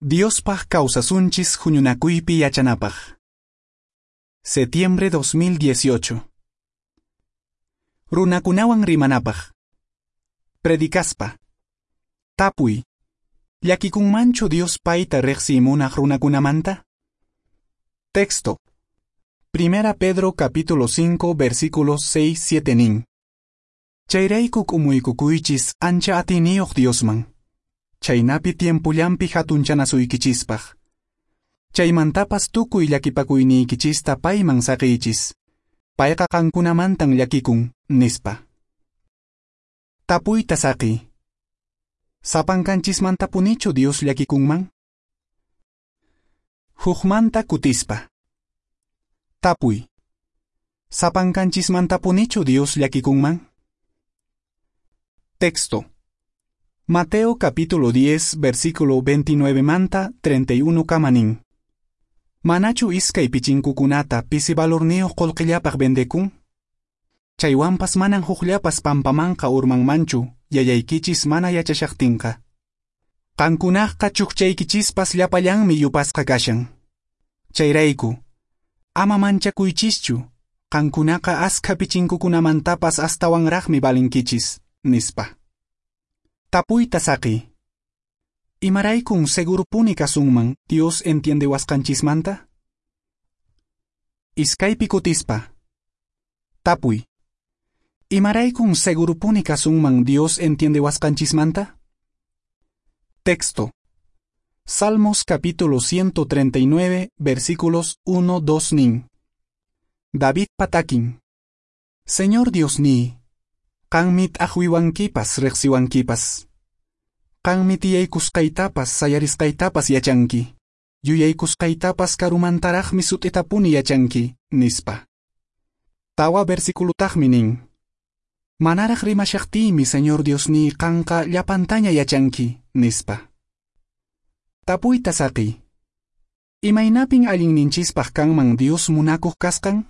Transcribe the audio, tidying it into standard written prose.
Diospaq kawsasunchis huñunakuypi yachanapaq. Septiembre 2018. Runakunawan rimanapaq. Predicaspa. Tapuy. Llakikunmanchu Dios payta riqsiy munaq runakunamanta? Texto. Primera Pedro capítulo 5 versículos 6 7 nin. Chayrayku k'umuykukuychis ancha atiyniyuq Diosman. Chaynapi tiempullanpi hatunchanasuykichispaq. Chaymantapas tukuy llakipakuyniykichista payman saqiychis. Payqa qankunamantan llakikun, nispa. Tapuyta saqiy. Sapankanchismantapunichu Dios llakikunman? Hukmanta kutispa. Tapuy. Sapankanchismantapunichu Dios llakikunman? Texto. Mateo capítulo 10, versículo 29 manta 31 kama nin. Manachu iskay pichinkukunata pisi valorniyuq qullqillapaq vendekun? Chaywanpas manan hukllapas pampamanqa urmanmanchu, yayaykichis mana yachashaqtinqa. Qankunaqqa chukchaykichispas llapallanmi yupasqa kashan. Chayrayku, ama manchakuychischu, qankunaqa askha pichinkukunamantapas astawanraqmi valinkichis, nispa. Tapuyta saqiy. Imaraykun segurupuni kasunman Dios entiendewasqanchismanta? Iskaypi kutispa. Tapuy. Imaraykun segurupuni kasunman Dios entiendewasqanchismanta? Texto. Salmos capítulo 139, versículos 1 2 nin. David patakin. Señor Diosniy, qanmi t'aqwiwankipas riqsiwankipas. Qanmi tiyaykusqaytapas sayarisqaytapas yachanki. Yuyaykusqaytapas karumantaraqmi sut'itapuni yachanki, nispa. Tawa versiculotaqmi nin. Manaraq rimashaqtiymi Señor Diosniy qanqa llapantaña yachanki, nispa. Tapuyta saqiy. Imaynapin allinninchispaq kanman Dios munakuq kasqan?